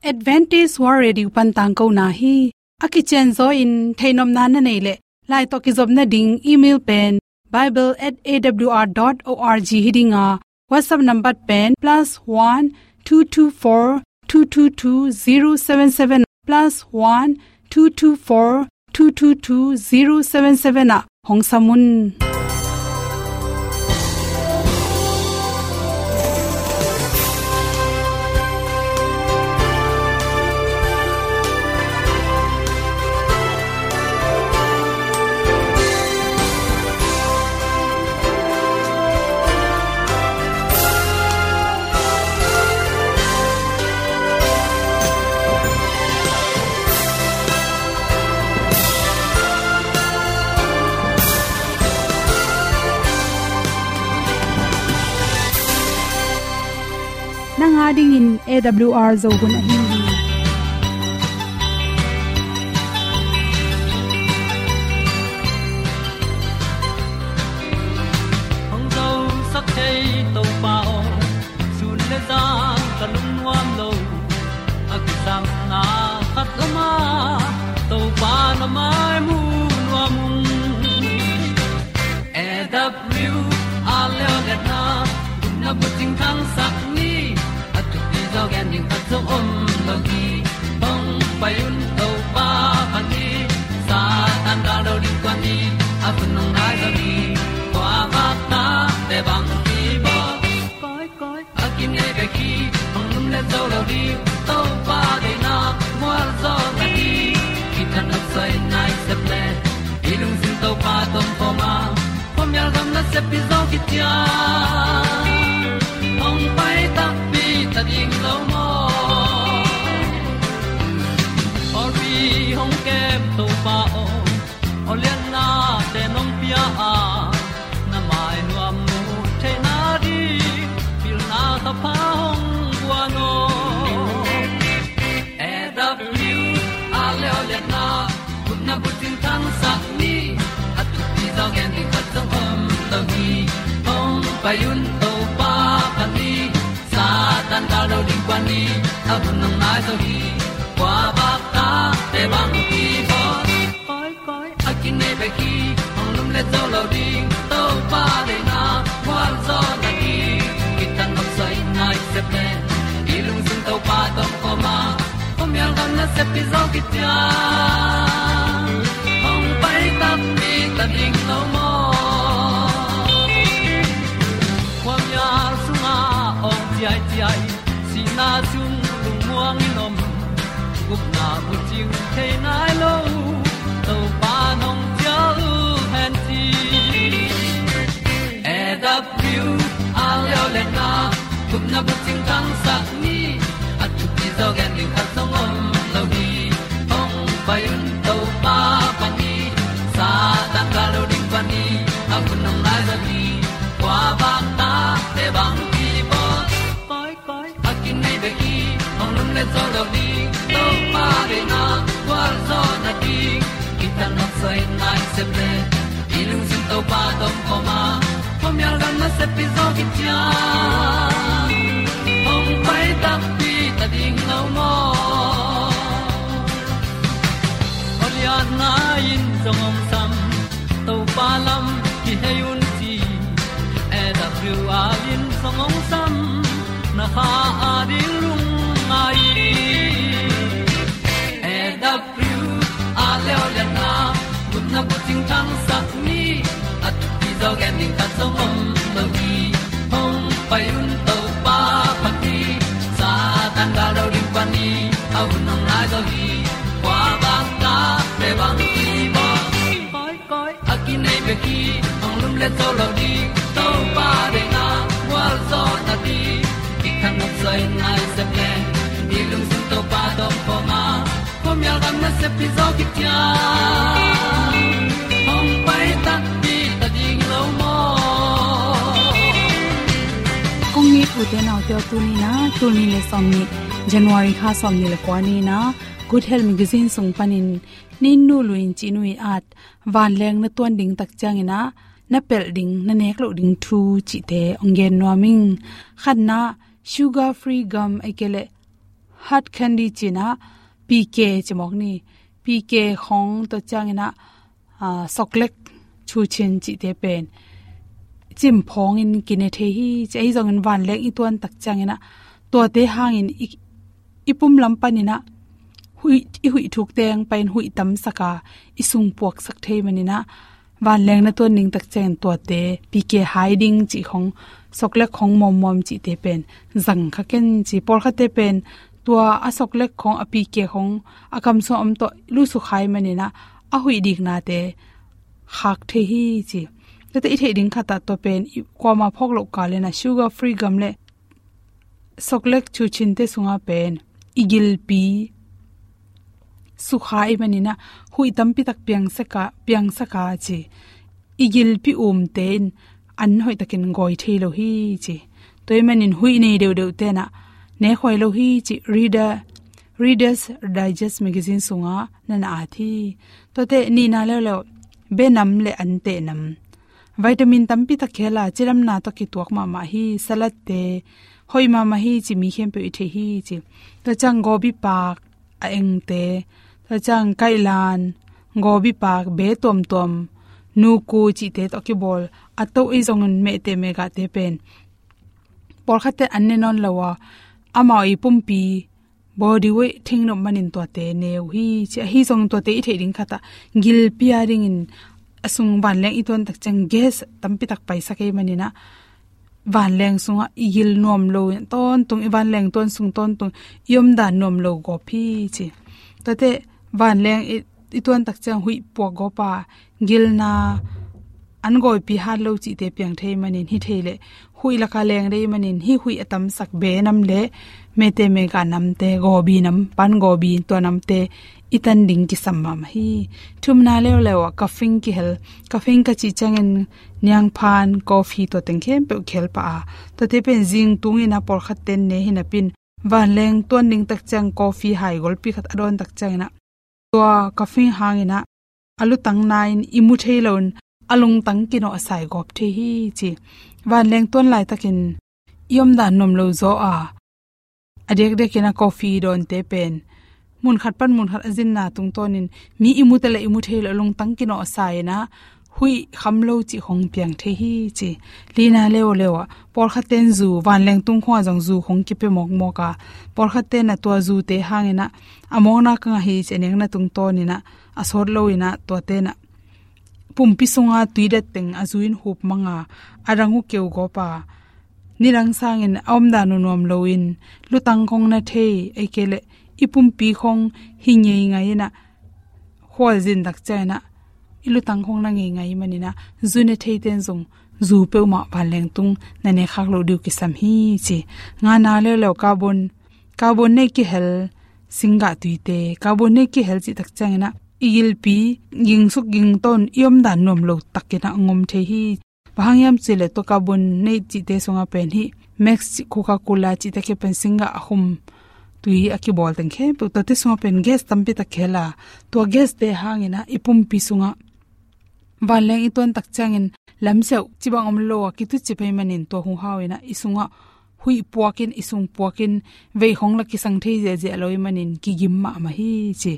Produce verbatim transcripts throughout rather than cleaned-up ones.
Adventist World Radio pan tangkona hi. A kicianzaw in theihnopna na neih leh, lai tawh kizopna ding email pen bible at A W R dot org hi ding a, WhatsApp number pen plus one two two four two two two zero seven seven, plus one two two four two two two zero seven seven ah hong sam un. Nang a dingin A W R Zo hun ahi hi. Hong zosak thei Topa aw, sun le zan ka lungnuam lo. A kisapna khat om a, Topa na mai mu nuam ung. A W R Leoliatna, na bucing thangsak ni, a thupi zaw gen ding khat zong om lo hi. Hong pai un Topa phat ni, Satan gal lo ding tua ni, a hun hong nai zaw ni, kua vakna te bang hi baw. Koi, koi, a kinei bek hi, hong lumlet zo lo ding, Topa deihna mualzawhna ding, kithat nopsai nai sep leh, i lungsim Topa tawh om khawm a, khuamial gam nasep hi zaw kician, hong pai takpi ta ding lo maw. Pawlpi hong kem Topa aw, aw lianna te nong pia a, na mai nuam mu theihna ding, pilna thapha hong guan aw. A W R Leoliatna, gupna bucing thangsak ni, a thupi zaw gen ding khat zong om lo hi. Hong pai un Topa phat ni, Satan gal lo ding tua ni, a hun hong nai zaw hi. Kua vakna te bang hi baw. Koi, koi, a kinei bek hi, hong lumlet zo lo ding, Topa deihna mualzawhna ding, kithat nopsai nai sep leh, i lungsim Topa tawh om khawm a, khuamial gam nasep hi zaw kician, hong pai takpi ta ding lo maw. Khuamial sungah awng ciaiciai, sihna sung lungmuang in om, gupna bucing thei nai lo, Topa nong cial hen ci. A W R Leoliatna, gupna bucing thangsak ni, a thupi zaw gen ding khat zong om lo hi. Hong pai un Topa phat ni, Satan gal lo ding tua ni, a hun hong nai zaw hi. Kua vakna te bang hi baw. Koi, koi, a kinei bek hi, hong lumlet zo lo ding, Topa deihna mualzawhna ding, kithat nopsai nai sep leh, i lungsim Topa tawh om khawm a, khuamial gam nasep hi zaw kician, hong pai takpi ta ding lo maw. Aw lianna in zong hong sam, Topa lam kihei un ci, A W R in zong hong sam, na kha a ding lungngai. A W R Leoliatna, gupna bucing thangsak ni, a thupi zaw gen ding khat zong om lo hi. Hong pai un Topa phat ni, Satan gal lo ding tua ni, a hun hong nai zaw hi. Kua vakna te bang hi baw. Koi, koi, a kinei bek hi, hong lumlet zo lo ding, Topa deihna mualzawhna ding, kithat nopsai nai sep leh, i lungsim Topa tawh om khawm a, khuamial gam nasep hi zaw kician, hong pai takpi ta ding lo maw. Kong it ute naute aw, tuni in ah, tul nih le sawmnih, January kha sawmnih le kua ni in ah, Good Health Magazine sung panin, Nin Nu Lu In Cih Nu Ii At, vanleng na tuan ding tak ciangin ah na pelh ding, na nek loh ding thu cihte hong gen nuam ing. Khatna, sugar free gum, ahih kei leh hard candy ci-in ah, P K ci mawk ni. P K khawng tua ciangin ah, aa, soklek chuchin cihte pen cimphawngin kine thei hi ci. Ahi zongin vanleng i tuan tak ciangin ah, tuate hangin i, i pum lam panin ah huih, i huih thuk teng panin huih tamsak a, i sung puaksak thei manin ah, vanleng na tuan ding tak ciangin tuate P K hai ding cih khawng, soklek khawng muammuam cihte pen zang kha ken ci. Pawlkhatte pen tua a soklek khawng, a P K khawng a kam sung a om tawh lusuk hai manin ah, a huih diknate khak thei hi ci. Tua teh i theih ding khat ah tua pen i kuamah phawk loh kalin ah sugar free gum le soklek chuchinte sungah pen i gilpi sukha i manin ah, huih tampi tak piangsak a, piangsak a ci. I gilpi umte in an hoihtakin gawi thei lo hi ci. Tua ahih manin huih nei deuhdeuhte in ah nekhuai lo hi ci. Reader, Reader's Digest magazine sungah na na at hi. Tua teh nihna leuleu, benam le an tehnam. Vitamin tampi tak kihel a, cilamna tawh kituak mahmah hi. Salatte hoih mahmah hi ci, mi khempeuh i theih hi ci. Tua ciang gobi pak a engte, tua ciang kailan, gobi pak, be tuamtuam, nuku cihte tawh kibawl a toh, ahi zongin mehteh mehgahte pen pawlkhatte an ne nawn lo a, amau i pumpi body weight thingnop manin tuate ne uh hi ci. Ahi zongin tuate i theih ding khat ah, gilpi a dingin a sung vanleng i tuan tak ciang gas tampi tak paisak ahih manin ah, vanleng sungah i gil nuam lo tawntung, i vanleng tuan sung tawntung i omdan nuam lo gawp hi ci. Tua teh vanleng i, i tuan tak ciang huih puak gawp a, gilna an gawipi hat lo cihte piang thei manin, hi thei leh huih lak a leng dei manin, hih huih a tamsak benam le mehteh mehgah namte, gobi nam, pan gobi, tua namte i tan ding kisam mahmah hi. Thumna leuleu ah caffeine kihel, caffeine ka cih ciangin niangphan, coffee, tua teng khempeuh kihel pah a, tuate pen zing tungin ah pawlkhatte in ne hi napi-in, vanleng tuan ding tak ciang coffee hai golpi khat a dawn tak ciangin ah, tua caffeine hangin ah a lutang na-in i mu thei loin a lungtang kinawhsai gawp thei hi ci. Vanleng tuan laitakin i omdan nuam lo zaw a, a diakdiakin ah coffee dawnte pen mun khat pan mun khat a zinna tungtawnin mi i mu ta leh i mu thei lo, lungtang kinawhsai-in ah huih kham lo cih khawng piang thei hi ci. Lina leuleu ah pawlkhatte in zu, vanleng tung khawngah zong zu khawng kipia mawkmawk a, pawlkhatte in ah tua zute hangin ah a mawkna ka ngah hi ci a nekna tungtawnin ah a sawt loin ah, tuate in ah pumpi sunga tui dat teng a zu in hup mang a, a dang uh keu gawp a, nidang sangin a omdan uh nuam loin lutang khawng na thei, ahih kei leh i pumpi khawng hi ngeingai in ah, khualzin tak ciangin ah i lutang khawng na ngeingai manin ah, zu ne theite in zong zu peuhmah vanleng tung na ne khak loh ding uh kisam hi ci. Ngana leuleu carbon, carbonate kihel singgah tuite, carbonate kihel cih tak ciangin ah i gilpi gingsuk gingto-in i omdan nuam lo takin ah ngom thei hi. Bang hang hiam cih leh tua carbonate cihte sungah pen hih Max cih, Coca-Cola cihte kiang pen singgah a khum tui a kibawl teng khempeuh, tuate sungah pen gas tampi tak kihel a, tua gaste hangin ah i pumpi sungah vanleng i tuan tak ciangin lamsiauh cih bang om lo a, kituci pai manin tua huhau in ah i sungah huih puakin, i sung puakin, vei khawng la kisang thei ziahziah lo ahih manin kigim mahmah hi ci.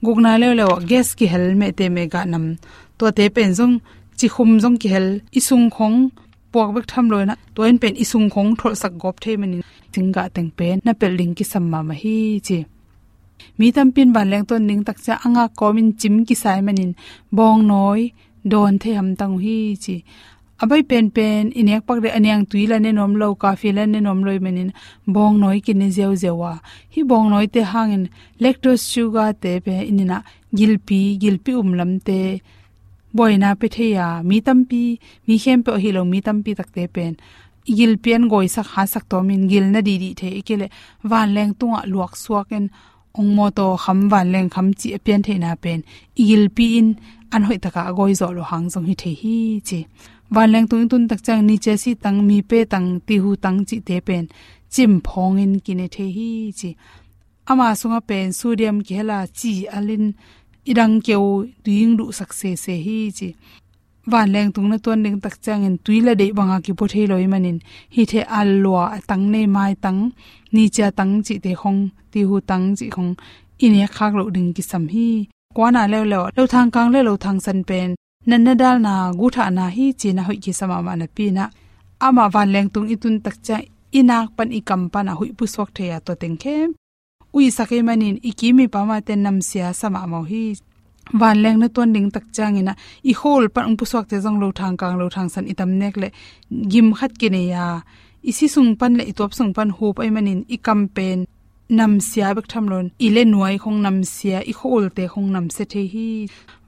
Gukna leuleu ah gas kihel mehteh mehgah nam, tuate pen zong cikhum zong kihel, i sung khawng puak bek tham lo-in ah, tua in pen i sung khawng tholhsak gawp thei manin singgah teng pen na pelh ding kisam mahmah hi ci. Mi tampi in vanleng tuan ding tak ciang a ngak kawmin cim kisa ahih manin bawngnawi dawn thei hamtang uh hi ci. A bai penpen i nek pak ding a niangtui la ne nuam lo, coffee la ne nuam lo ahih manin bawngnawi kine ziauziau a, hih bawngnawite hangin lactose sugar-te pen in ah gilpi, gilpi um lamte buaina pia thei a, mi tampi, mi khempeuh ahi lo, mi tampi takte pen i gilpi an gawisak, hatsak tawmin gilna dihdih thei, ahih kei leh vanleng tungah luaksuakin ongmawtaw kham, vanleng kham cih a pian theihna pen i gilpi in an hoih takin a gawi zawh loh hang zong hi thei hi ci. Vanleng tung i tun tak ciang nice sih tang, mipe tang, tihu tang cihte pen cimphawngin kine thei hi ci. Ama sungah pen sodium kihel a, ci alin i dang keu, tuing duhsak sese hi ci. vanleng tung na tuan ding tak ciangin tui le deih banga kipua thei lo ahih manin, hih thei a lua, a tang nei, mai tang, ni cia tang cihte khong, tihu tang cih khong i nek khak loh ding kisam hi. Kuana leuleu, lothang kang le lothang san pen natna dalna, guthahna hi ci-in a hoih kisa mahmah napi-in ah, amah vanleng tung i tun tak ciang i nak pan, i kam pan a huih pusuak thei a, tua teng khempeuh huihsak ahih manin i kim i pam a te namsia sa mahmah uh hi. Vanleng na tuan ding tak ciangin ah i khuaul pan hong pusuakte zong lothang kang lothang san i tam nek leh gim khat kinei a, i si sung pan le i tuap sung pan hup ahih manin i kam pen namsia bek tham loin, i le nuai khong namsia, i khuaulte khong namsia thei hi.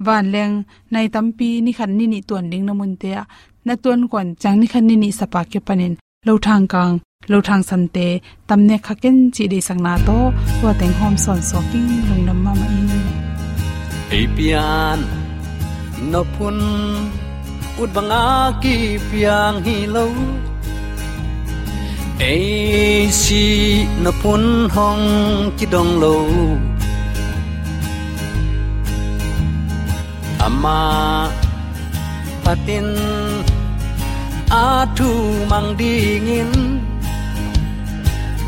Vanleng nai tampi ni khat ni nih tuan ding na munte ah na tuan kuan ciang ni khat ni nih sapa kiang panin lothang kang, lothang sante tam nek kha ken cih deihsakna tawh tua teng hawm sawn suak ing. Lungdam mahmah ing. Ei pian nop hun ut banga kipiang hi lo, ei sih nop hun hong kidong lo. Amah phatin a thu mang dingin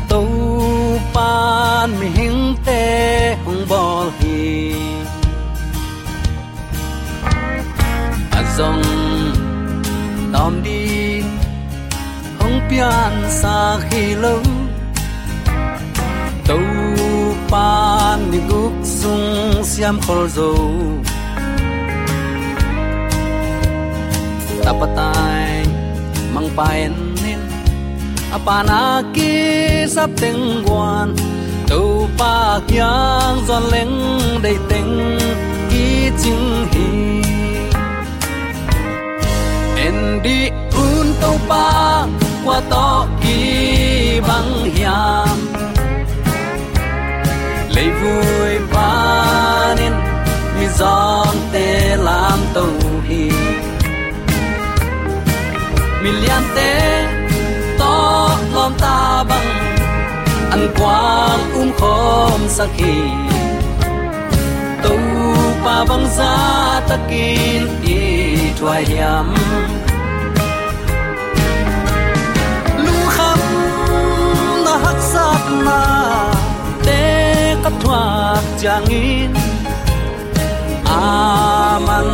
Topan mihingte hong bawl hi. A zong tawm ding hong piansak hi lo, Topan ni guk sung siam khol zo. Tapa tai mangpa en in, a pana kisap teng guan, Topa kiang zuan leng deih teng kicing hi. En dih un Topa, kua tawh kibang hiam? Leivui panin mizawngte lamto hi. Miliante tawh lawmta bang an kuang umkhawmsak hi. Topa bangzah takin i thuai hiam? Lungkhamna haksatnate ka thuak ciangin, aman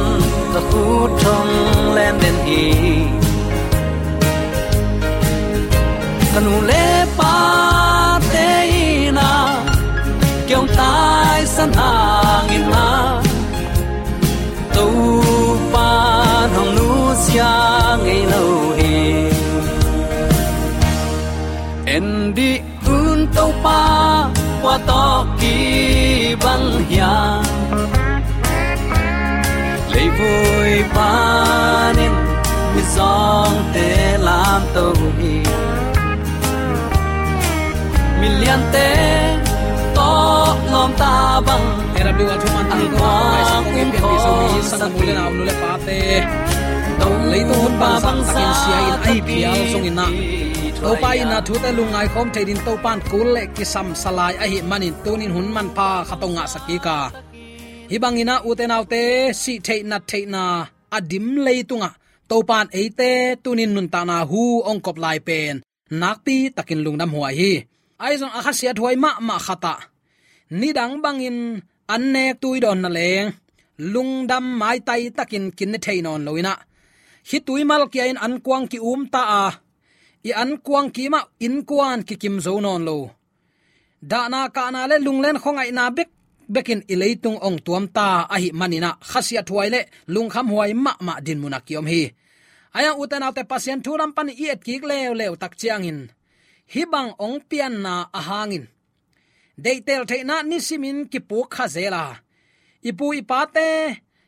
ka khut hong lem den hi. Ka nu le pate in ah kei hong taisan hangin ah, Topan hong nusia ngei lo hi. En dih un Topa, kua tawh kibang hiam? Leivui panin mizawngte lamto hi. Miliante tawh lawmta bang, A W R thuman tang an kuang umkhawmsak hi. Sang mu le nau, nu le pate, leitung hun bangzah takin sia in a hi phial zongin ah, Topa in ah thute lungngai khawm thei dingin Topan kul le kisam sa lai ahih manin, tunin hun manpha khat hong ngahsak kik a. Hih bangin ah ute naute, sih theih nat theihna a dim leitungah Topan eite tunin nuntakna hu hong kop lai pen nakpi takin lungdam huai hi. Ahi zong a khasiathuai mahmah khat ah, nidang bangin an nek tui dawn na leng, lungdam maitai takin kin ne thei nawn lo in ah, khitui malkia in an kuang ki-um ta a, i an kuang kim ah innkuan kikim zo nawn lo, dahna kahna le lunglen khuangaihna bek bekin i leitung hong tuam ta ahih manin ah, khasiathuai le lungkhamhuai mahmah dinmun ah ki-om hi. Ahi zong ute naute, Pasian thu lam panin i et kik leuleu tak ciangin, hih bang hong pianna a hangin, deihtel theihna nisimin kipuk kha zel a, i pu i pate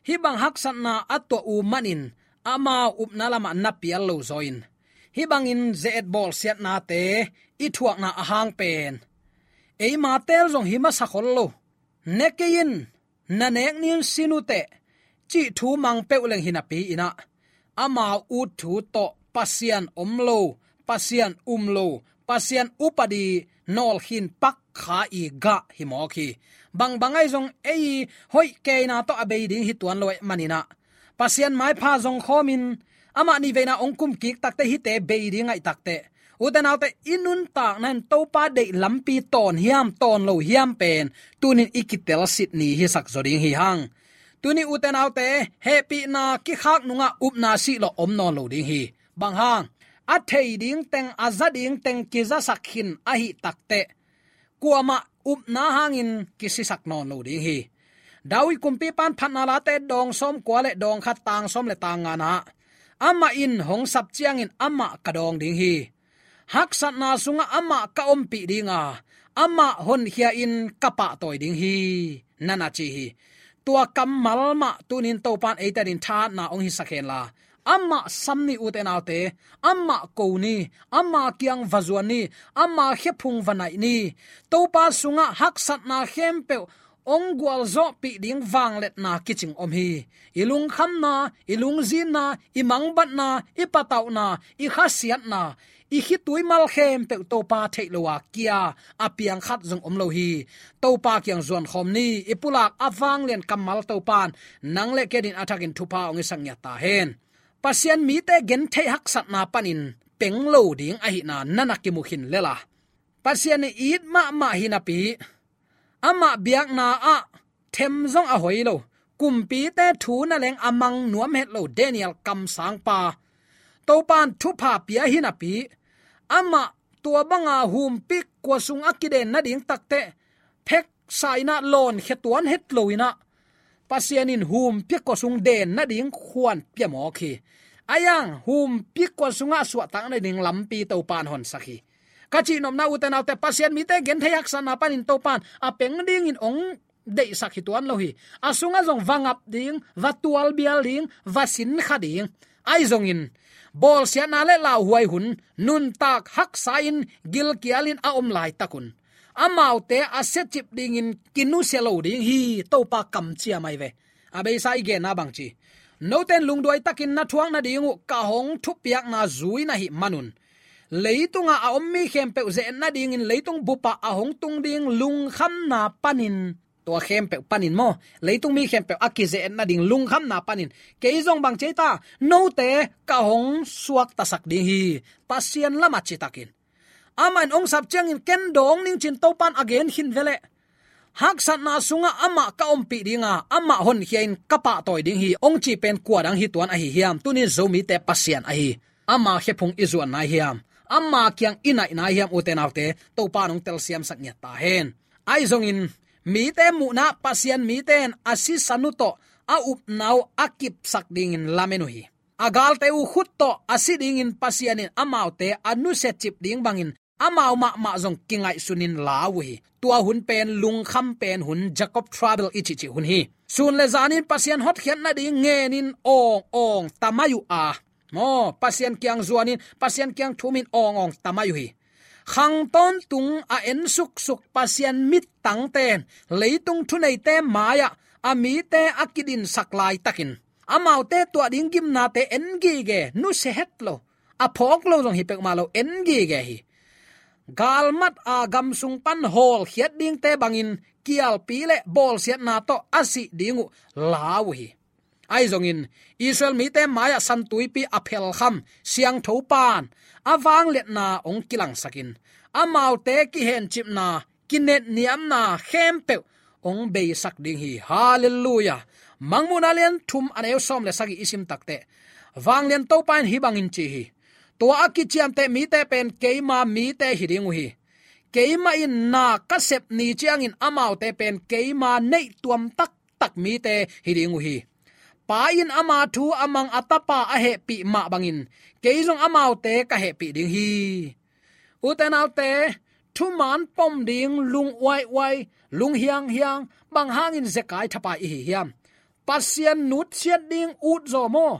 hih bang haksatna a tuah uh manin, amau upna lamah na pial lo zaw in, hih bangin ze-et bawlsiatnate i thuakna a hang pen, eima tel zong hi masa khol lo. Ne kei in, na nek ni un, sin uh teh, cih thu mang peuh leng hi napi in ah, amau ut thu tawh Pasian om lo, Pasian um lo, Pasian upadi nawlkhin pak kha i gah hi mawk hi. Bangbang ahi zong ei hoih keina tawh a bei ding hi tuan lo ahih manin ah, Pasian maipha zong khawmin amah nih veina hong kum kik takteh hihte bei ding ngaih takteh, ute naute, i nuntakna in Topa deih lampi tawn hiam, tawn lo hiam pen tuni-in i kitelsit ni hisak zaw ding hi hang. Tuni, ute naute, hehpihna kikhak nungah upna sihlawh om nawn lo ding hi. Bang hang? A thei ding teng, a za ding teng kizasak khin ahih takteh, kuamah upna hangin kisisak nawn lo ding hi. David kumpipa'n Phatna Late dawng sawmkua le dawng khat, tang sawm le tang ngana ah, amah in hong sap ciangin amah ka dawng ding hi. Haksatna sungah amah ka ompih ding a, amah honkhia-in ka pahtawi ding hi, na na ci hi. Tua kammal mah tuni-in Topa'n eite adingin thahatna hong hisak henla, amah sam ni, ute naute, amah ko ni, ama kiang va zuan ni, ama khephung va naih ni. Topa sungah haksatna khempeuh hong gualzawhpih ding vangliatna kicing om hi. I lungkhamna, i lungzinna, i mangbatna, i patauhna, i khasiatna, i khitui mal khempeuh Topa theih lo a kia a piang khat zong om lo hi. Topa kiang zuan khawm ni. I pulak a vanglian kammal Topa'n nang le kei adingin a thakin thupha hong hisak ngiat ta hen. Pasian mite gentheih haksatna panin peng lo ding ahihna na na kimu khin lel a, Pasian in it mahmah hi napi, amah biakna ah them zong a hoi lo, kumpite thu nangawn a mang nuam het lo Daniel kamsangpa, Topa'n thupha pia hi napi, amah tua banga humpik kua sung a kiden nading takteh pheksa-in ah lawnkhia tuan het lo-in ah, Pasian in humpik kua sung den nading khuan pia mawk hi. Ahi zongin humpik kua sungah suahtak nading lampi Topa'n honsak hi. Ka cihnopna, ute naute, Pasian mite gentheih haksatna panin Topa'n a peng dingin hong deihsak hi tuan lo hi. A sungah zong va ngap ding, va tualbial ding, va sinkha ding. Ahi zongin bawlsiatna le lauhuai hun, nuntak haksa-in gilkialin a om laitak un, amaute a siacip dingin kinusia lo ding hi, Topa kamciam ahi ve. A beisa i genna bangci, note'n lungduai takin na thuak nading uh ka hong thupiakna zui na hih manun, leitungah a om mi khempeuh ze-et nadingin leitung bupah a hong tung ding lungkhamna panin, tua khempeuh panin maw, leitung mi khempeuh a kize-et nading lungkhamna panin, kei zong bangci ei ta, note ka hong suaktasak ding hi, Pasian lamah citakin. Amah in hong sap ciangin ken dawng ning ci-in Topa'n a gen khin ve leh, haksatna sungah amah ka ompih ding a, amah honkhia-in ka pahtawi ding hi, hong ci pen kua dang hi tuan ahi hiam? Tuni-in Zomite Pasian ahi, ama khephung i zuan nai hiam? Ama kiang i naih nai hiam, ute naute? Topa'n hong telsiamsak ngiat ta hen. Ahi zongin mite muhna-ah Pasian mite in a sisan uh tawh a upna uh a kipsak dingin lamen uh hi. A galte uh khut tawh a si dingin Pasian in amaute a nusiacip ding bangin amau mahmah zong kingaihsunin la uh hi. Tua hun pen lungkham pen hun, Jacob trouble i cihcih hun hi. Sun le zanin Pasian hotkhiat nading ngenin awng awng ta mai uh a, maw, Pasian kiang zuanin, Pasian kiang thumin awng awng ta mai uh hi. Khang tawntung a en suksuk Pasian mittangte'n leitung thuneite mai-ah a mite a kidinsak laitakin, amaute tuah ding gimnate en gige, nusia het lo, a phawk lo zong hi peuhmah lo, en gige hi. Galmat a gam sung pan hawlkhiat dingte bangin kialpi le bawlsiatna tawh a sih ding uh la uh hi. Ahi zongin Israel mite mai-ah San Tuipi a phelkham Siangtho Pa'n a vangliatna hong kilangsakin, amaute kihencipna, kinetniamna khempeuh hong beisak ding hi. Halleluiah. Mangmuhna lian thum, a neu sawm le sagih i sim takteh, Vanglian Topa in hih bangin ci hi: Tua a kiciamteh mite pen keima mite hi ding uh hi. Keimah in na ka sep ni ciangin amaute pen keima neih tuam taktak mite hi ding uh hi. Pa in ama thu a mang a Tapa a hehpih mah bangin kei zong amaute ka hehpih ding hi. Ute naute, thuman pom ding lung uaiuai, lung hianghiang, bang hangin zekai thapai i hi hiam? Pasian nutsiat ding ut zaw maw?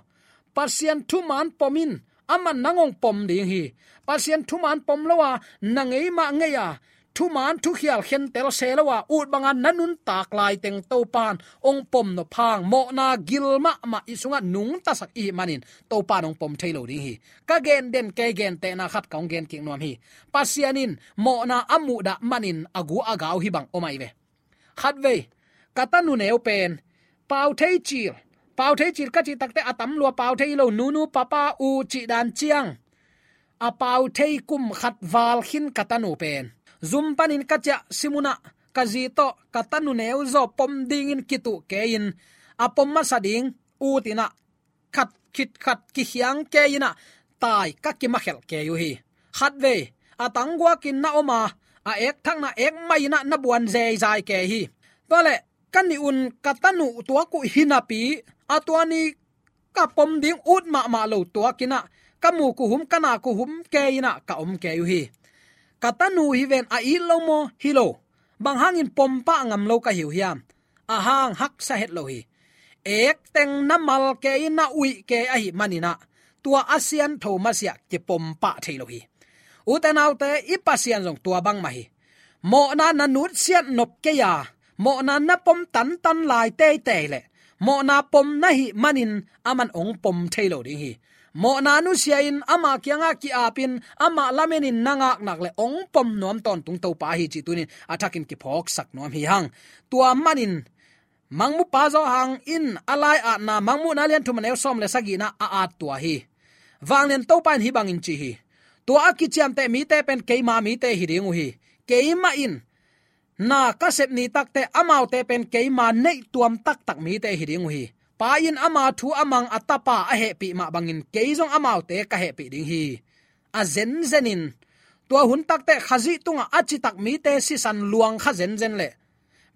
Pasian thuman pom in, aman nang hong pom ding hi. Pasian thuman pom lo a, na ngei mah ngei a, thuman thukhial khentel se lo a, ut banga na nuntak laiteng Topa'n hong pom nop hang, mawhna gil mahmah i sungah nungtasak i hih manin Topa'n hong pom thei lo ding hi. Ka gen den kei, gentehna khat ka hong gen kik nuam hi. Pasian in mawhna a muhdah manin a gu a gau hih bang om ahi ve. Khatvei ka tanu neu pen pau thei cil, Pau thei cil ka cih takte a tam lua, pau thei lo, nunu papa u cih dan ciang a pau thei kum khat val khin ka tanu pen zum panin ka ciah simunah ka zi tawh ka tanu neuzaw pom dingin kituh kei-in a pom masa ding ut inah khat khit khat kikhiang kei inah tai ka kimakhelh kei uh hi. Khatvei a tangguakin na om a, a ek thakna ek mai inah na buan zeizai kei hi. Tualeh ka nih un ka tanu tuak uh hinapi a tua ni ka pom ding ut mahmah lo tuak inah ka mu kuhum ka na kuhum kei inah ka om kei uh hi. Ka tanu hi ven, a it lo maw? Hi lo. Bang hangin pom pah ngam lo ka hi uh hiam? A hang haksa het lo hi. Ek teng na mal kei na uih kei ahih maninah tua a siantho masiah kipom pah thei lo hi. Ute naute, i Pasian zong tua bangmah hi. Mawhna na nutsiat nop kei a, mawhna na pom tantan lai teitei leh mawhna pom na hih manin aman ong pom thei lo ding hi. Mawhna nusia-in ama kiangah ki-apin ama lamenin na ngaknak le ong pom nuam tawntung Topa ahi cih tunin a thakin kiphawksak nuam hi hang. Tua manin Mangmupa Zawhang in a lai-atna Mangmuhna lian thum a neu sawm le sagihna a at tua hi. Vanglian Topa in hih bangin ci hi. Tua a kiciamteh mite pen keima mite hi ding uh hi. Keimah in na ka sep ni takte amaute pen keima neih tuam taktak mite hi ding uh hi. Pa in ama thu a mang a tapa a hehpih mah bangin kei zong amaute ka hehpih ding hi. A zenzenin tua hun takte Khazih tungah a citak mite sisan luang kha zenzen le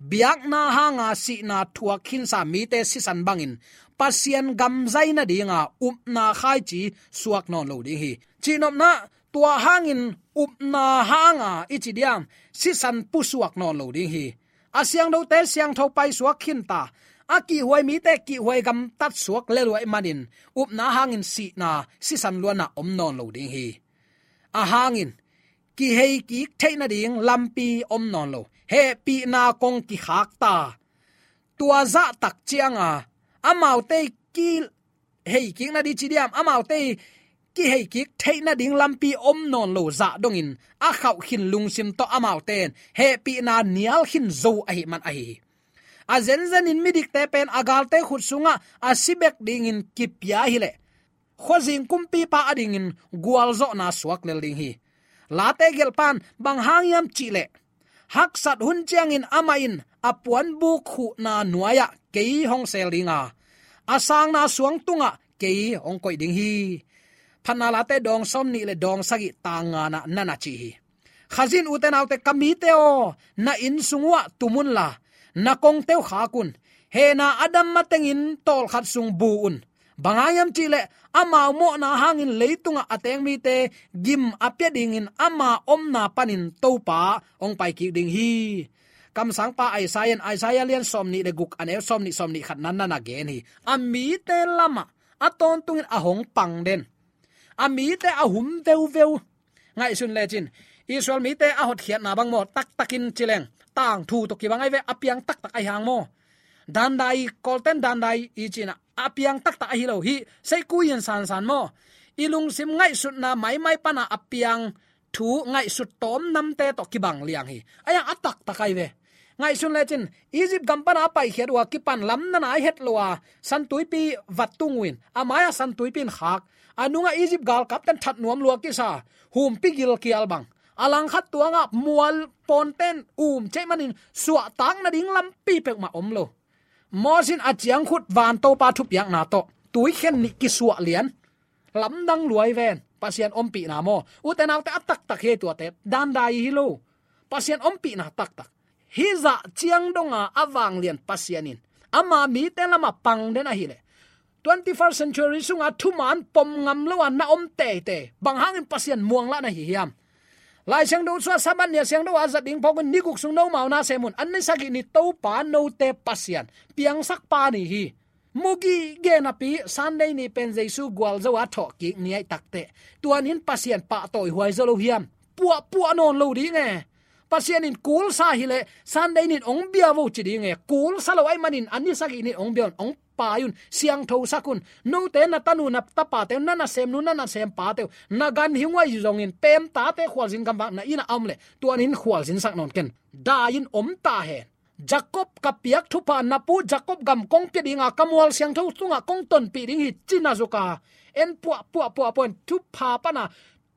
biakna hanga sihna thuak khinsa mite sisan bangin Pasian gam zai nadinga upna khaici suak nawn lo ding hi. Cihnopna, tua hangin upna hanga i ci diam, sisan pusuak nawn lo ding hi. A siangthote siangtho paisuak khinta, a kihhuai mite kihhuai gamtat suak leluai manin upna hangin sihna sisan luanna om nawn lo ding hi. A hangin kihei kik theih nading lampi om nawn lo. Hehpihna kong kikhakta, tua zahtak cianga amaute kihei kik nading ci diam, amaute kihei kik theih nading lampi om nawn lo zah dongin a khauh khin lungsim tawh amaute in hehpihna nial khin zo ahih man ahi hi. A zenzenin midikte pen a galte khut sungah a si bek dingin kipia hileh khuazing kumpipa adingin gualzawhna suak lel ding hi. Late gelhpan bang hang hiam cihleh, haksat hun ciangin amah in a puanbuk khuhna nuai-ah kei hong sel dinga, a sangna suang tungah kei hong koih ding hi. Phatna Late dawng sawmnih le dawng sagih tang nganah nana ci hi. Khazin ute naute, ka mite aw, na inn sung uhah tum unla na kongte uh khak un. Hehna a dam matengin tawlkhat sung bu un. Bang hang hiam cihleh amau mawhna hangin leitungah a teng mite gim a pia dingin ama omna panin Topa hong paikik ding hi. Kamsangpa Isaiah in Isaiah lian sawmnih le guk a neu sawmnih, sawmnih khat nan nana gen hi. A mite lamah a tawntungin a hong pang den, a mite a hum veuveu. Ngaihsun lecin Israel mite a hotkhiatna bang maw, taktakin cileng tangthu tawh kibang ai ve, a piang taktak ahi hang maw. Dandai, Kawlten dandai i cinah a piang taktak ahi lo hi. Seikui in sansan maw, i lungsim ngaihsutna maimai pana a piang thu ngaihsut tawm namte tawh kibang liang hi. Ahi hang a taktak ai ve. Ngaihsun lecin Egypt gam pana a paikhiat uh a kipan lam nana a het lo a, Santuipi vat tung uh in, a mai-ah Santuipi in khak. A nungah Egypt galkapten that nuam lua kisa, humpi gilkial bang. A langkhat tuangah mual pawnten um ceih manin suahtak nading lampi peuhmah om lo. Moses in a ciangkhut van Topa thupiakna tawh tuikhen nih kisuah lian. Lamdang luai ven, Pasian ompihna maw. Ute naute, a taktak hi tuate, dandai hi lo. Pasian ompihna taktak. Hih zah ciang donga a vanglian Pasian in ama mite lamah pang den ahileh, twenty-first century sunga thuman pom ngam lo a na om teitei, bang hangin Pasian muanglah na hi hiam? Lai Siangtho sungah Sabbath ni a siangtho a zat ding phawk un, ni guk sung nomau na sem un. A ni sagih ni Topa note Pasian, piangsakpa ni hi. Mu gige napi Sunday ni pen Jesu gualzo a thawhkik ni aih takteh, tuan in Pasian pahtawi huai zo lo hiam? Puahpuah nawn lo ding e. Pasian in kulsa hileh Sunday nin ong bia vo ci ding e. Kulsa lo aih manin a ni sagih nin ong bia un, ong pai un, siangthosak un. Note na tanu na tapate uh, na nasemnu na nasempate uh, na ganhing uh ahi zongin pemtate khualzin gamvak na innah a om leh, tuan in khualzinsak nawn ken. Dai in om ta hen. Jacob ka piak thupha na pu Jacob gam kong pia dinga ka mual siangtho tungah kong tonpih ding hi ci-in a zuk a, en puah puah puah puah in thupha pana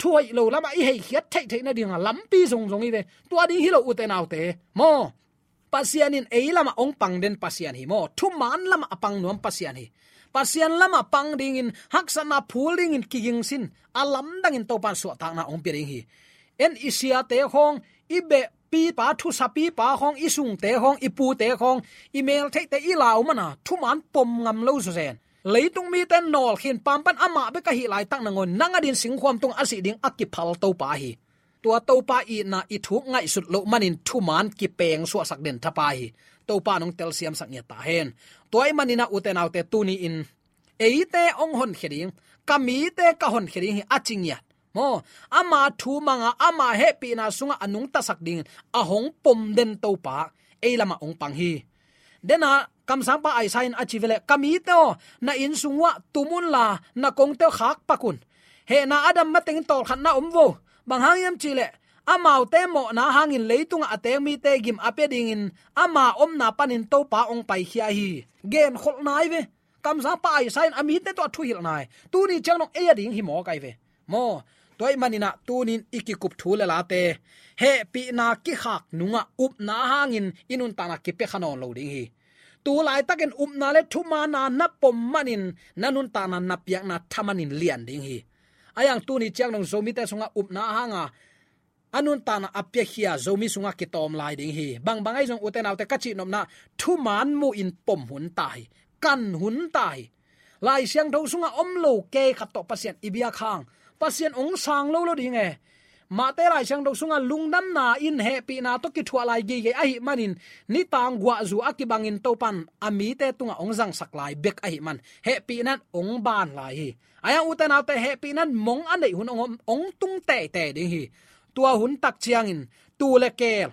thu hoih lo lamah i heikhiat theihtheih nadinga lampi zongzong hi ve. Tua ding hi lo ute naute maw. Pasian in ei lamah hong pang den Pasian hi maw. Thuman lamah a pang nuam Pasian hi. Pasian lamah pang dingin haksatna phul dingin kigingsin a lamdangin Topan suahtakna hong pia ding hi. En i siate khawng, i beh pipa, thusapipa khawng, i sungte khawng, i pute khawng, i meltheihte i lau mana thuman pom ngam lo zawzen. Leitung mite nawlkhin pampan amah bek ahih laitak nangawn nang a din singkhuam tung a sih ding a kiphal Topa hi. Tua Topa itna i thuk ngaihsut loh manin thuman kipeng suahsak den thapai hi. Topa nong telsiamsak ngiat ta hen. Tua ahih manin a ute naute tuni-in eite hong honkhia ding, ka mite ka honkhia ding hi a ci ngiat maw. Ama thu manga ama hehpihna sungah a nungtasak dingin a hong pom den Topa ei lamah hong pang hi. Dena kamsangpa Isaiah in a ci veleh, ka mite aw, na inn sung uah tum unla na kongte aw khakpak un. Hehna a dam matengin tawlkhatna om vo. Bang hang hiam cihleh, amaute mawhna hangin leitungah a teng mite gim a pia dingin ama omna panin Topa hong paikhia hi. Genkholh nai ve. Kamsangpa Isaiah in a mite tawh a thuhilh nai. Tuni ciang dong ei a ding hi mawk ai ve maw. Tua ahih manin a tunin i kikup thu le late hehpihna kikhak nungah upna hangin i nuntakna kipia kha nawn lo ding hi. Tu laitakin upna le thumanna na pom manin na nuntakna na piakna thamanin lian ding hi. Ahi hang tuni ciang dong Zomite sungah upna hanga a nuntakna a piakhia Zomi sungah kitawm lai ding hi. Bangbang ahi zong ute naute ka cihnopna thuman muhin pom hun ta hi. Kan hun ta hi. Lai Siangtho sungah om lo kei khat tawh Pasian i biak hang Pasian hong sang lo lo ding e. Mahte Lai Siangtho sungah lungdamna in hehpihna tawh kithuah lai geigei ahih manin nitang guahzu a kibangin Topan a mite tungah hong zangsak lai bek ahih man hehpihna in hong ban lai hi. Ahi hang ute naute hehpihna in mong a neih hun hong om, hong tung teitei ding hi. Tua hun tak ciangin tuu le keel,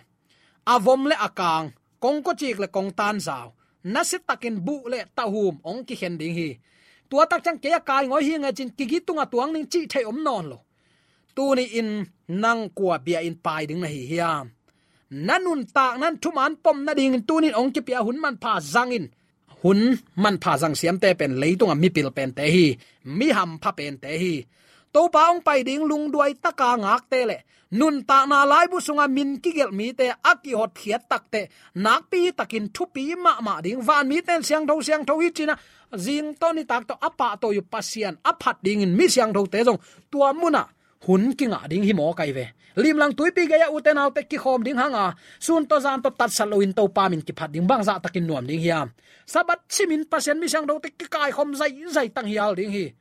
a vom le a kaang, kongkocik le kongtanzau, nasiatakin buh le tahum hong kikhen ding hi. Tua tak ciang kei a kai ngawi hi nge cin kigi tungah tuang ning cih theih om nawn lo. Tuni-in nang kua bia-in pai ding na hi hiam? Na nuntakna in thuman pom nadingin tunin hong kipia hun manpha zang in. Hun manpha zang siamte pen leitungah mipil pente hi. Mi hampha pente hi. Topa hong pai ding lungduai taka ngakte le nuntakna laibu sunga min kigelh mite a kihotkhiat takteh nakpi takin thupi mahmah ding. Van mite in siangtho siangtho hi cin a, zing tawh nitak tawh a pahtawi uh Pasian a phat dingin mi siangthote zong tua munah hun kingah ding hi mawk ai ve. Limlang tuipi gei-ah ute naute kikhawm ding hanga sun tawh zan tawh tatsat loin Topa min kiphat ding bangzah takin nuam ding hiam? Sabbath simin Pasian mi siangthote kikaikhawm zaizai tanghial ding hi.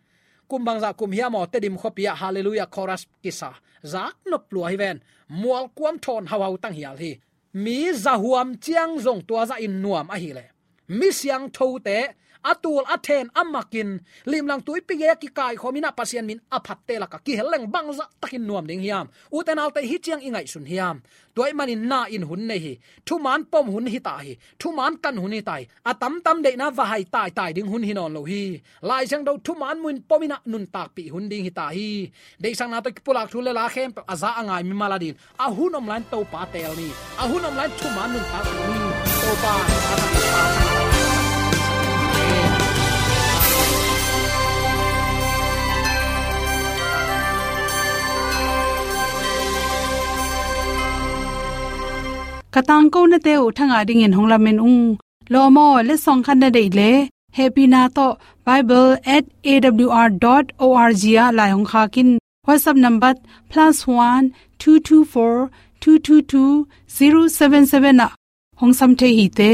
Kum bangzah kum hiam aw, Tedim khuapi ah Hallelujah Chorus kisa zak nop lua hi ven. Mualkuam thawn hauhau tanghial hi. Mi zahuam ciang zong tua zahin nuam ahileh mi siangthote a tul a then a makin limlang tuipi gei-ah kikaikhawm in a Pasian min a phatte lakah kihel leng bangzah takin nuam ding hiam? Ute naute, hih ciang i ngaihsun hiam? Tua ahih manin na in hun nei hi. Thuman pom hun hi ta hi. Thuman kan hun hi ta hi. A tamtam deihna va hai taitai ding hun hi nawn lo hi. Lai Siangtho thuman muhin pom in a nuntakpih hun ding hi ta hi. Deihsakna tawh kipulak thu le la khempeuh a za a ngai mimal adin a hun om lai-in Topa teel ni. A hun om lai-in thuman nuntakpih ni. Topa ka tangkonate uh thangah dingin hong lamen ung. Lawm aw, letsong khat na deih leh hehpihna tawh bible at A W R dot O R G ah lai hong khak in. WhatsApp number plus one two two four two two two zero seven seven ah hong sam thei hi te.